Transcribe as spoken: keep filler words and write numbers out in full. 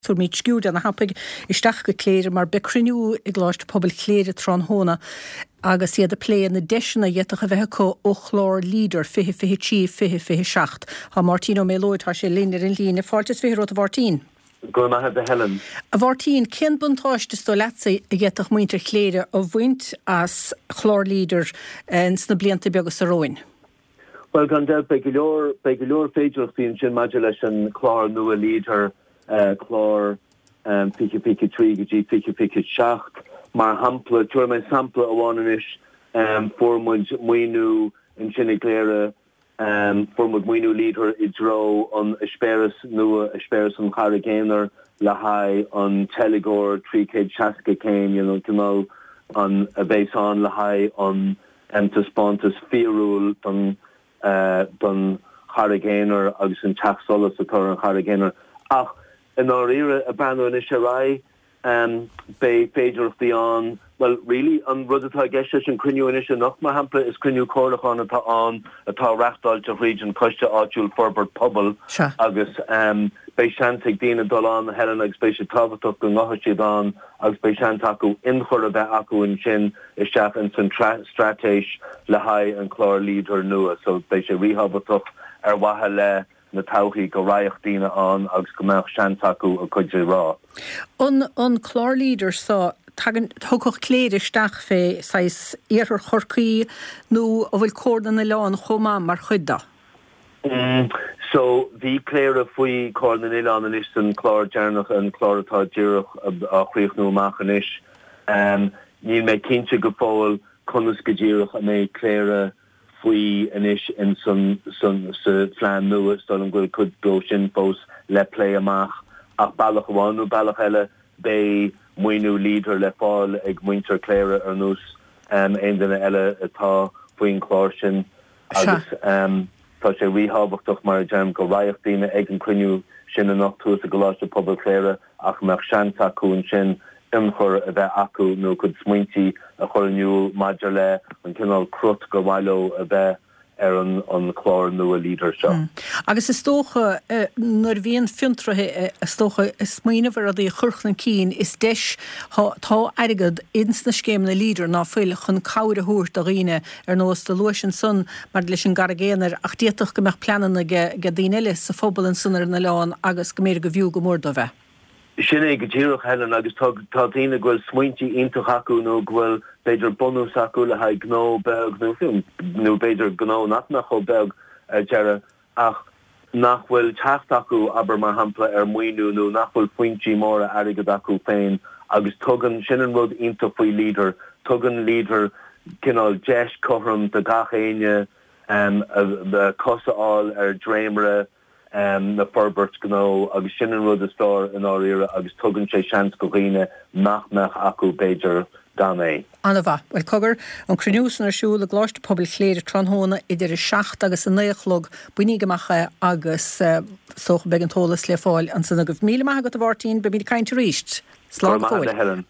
Tabharfaimid sciuird ana-thapaidh isteach go Cléire mar beidh cruinniú i gColáiste Pobail Chléire tráthnóna agus iad ag plé na deiseanna a d'fhéadfadh a bheith acu ó chlár Leader fiche fiche trí fiche fiche seacht. Tá Máirtín Ó Méalóid, tá sé linn ar an líne. Fáilte is fiche romhat, a Mháirtín. Go raibh maith agat, a Helen. A Mháirtín, cén buntáiste is dóigh leatsa a d'fhéadfadh muintir Chléire a bhaint as chlár Leader sna blianta beaga seo romhainn? Bhuel, gan dabht, beidh go leor, beidh go leor féidearthachtaí ansin maidir leis an chlár nua Leader, clár fiche fiche trí go dtí fiche fiche seacht. Mar shampla, tabharfaidh mé sampla amháin anois, fuair muid maoiniú ansin i gCléire, fuair muid maoiniú Leader i dtreo an eispéireas nua, eispéireas an Charraig Aonair le haghaidh an teilgeoir trí chéad seasca céim, you know, cineál an a bheas ann le haghaidh an taispeántas fíorúil don don Charraig Aonair agus an teach solais atá ar an Charraig Aonair. Ach i ndáiríre, ag breathnú anois ar aghaidh, beidh féidearthachtaí ann, bhuel, really, an rud atá i gceist leis an cruinniú anois anocht, mar shampla, is cruinniú comhairliúcháin atá ann atá reachtáilte thríd an Coiste Áitiúil Forbairt Pobail agus beidh seans ag daoine dul ann, a Helen, agus beidh sé tábhachtach go ngabhfaidh siad ann agus beidh seans acu ionchur a bheith acu ansin isteach ins an straitéis le haghaidh an clár Leader nua. So beidh sé ríthábhachtach ar mhaithe le na todhchaí go raghadh daoine ann agus go mbeadh seans acu a gcuid a rá. An an clár Leader so, tagann, thiocfadh Cléire isteach fé saghas Iarthar Chorcaí nó an bhfuil Comhar na nOileán chomh maith mar chuid de? So, bhí Cléire faoi Comhar na nOileán anois san clár deireanach, an clár atá díreach á chríochnú amach anois. Níl mé cinnte go fóill conas go díreach a mbeidh Cléire faoi anois in san, san, sa phlean nua. Is dóigh liom go bhfuil cuid dó sin fós le plé amach ach bealach amháin nó bealach eile beidh maoiniú Leader le fáil ag muintir Chléire ar nós aon duine eile atá faoin chlár sin. Agus tá sé ríthábhachtach, mar a deirim, go raghadh daoine ag an cruinniú sin anocht thuas i gColáiste Pobail Chléire ach go mbeadh seans acu ansin ionchur a bheith acu nó a gcuid smaointí a chur in iúl maidir le an cineál crut gur mhaith leo a bheith ar an chlár nua Leader seo. Agus is dócha, nuair a bhíonn fiontraithe, is dócha, ag smaoineamh ar rudaí a chur chun cinn, is deis, tá airgead ins na scéimeanna Leader, ná fuil, chun cabhair a thabhairt do dhaoine, ar nós do luais ansan maidir leis an gCarraig Aonair, ach d'fhéadfadh go mbeadh pleananna ag daoine eile sa phobal ansan ar an oileán agus go mb'fhéidir go bhfiú go mór dóibh é. Sin é go díreach, Helen, agus tá tá daoine go bhfuil smaointí iontach acu nó go bhfuil b'fhéidir bunús acu le haghaidh gnó beag nó fiú nó b'fhéidir gnó nach mbeadh chomh beag ar deireadh ach nach bhfuil teacht acu, abair mar shampla, ar mhaoiniú nó nach bhfuil foinsí móra airgid acu féin agus tugann, sin an rud iontach faoi Leader, tugann Leader cineál deis cothrom do gach éinne cos a fháil ar dréimire. na forbairt gnó agus sin an rud is fearr i ndáiríre agus tugann sé seans go dhaoine nach mbeadh acu b'fhéidir gan é. An-mhaith. Bhuel, cogar, an cruinniú san ar siúl i gColáiste Pobail Chléire tráthnóna idir a seacht agus a naoi a chlog. Bainíg amach é agus is dócha beidh an t-eolas le fáil ansan agaibh. Míle maith agat a Mháirtín, beimid ag caint arís. Go Slán raibh go maith agat fóill. a Helen.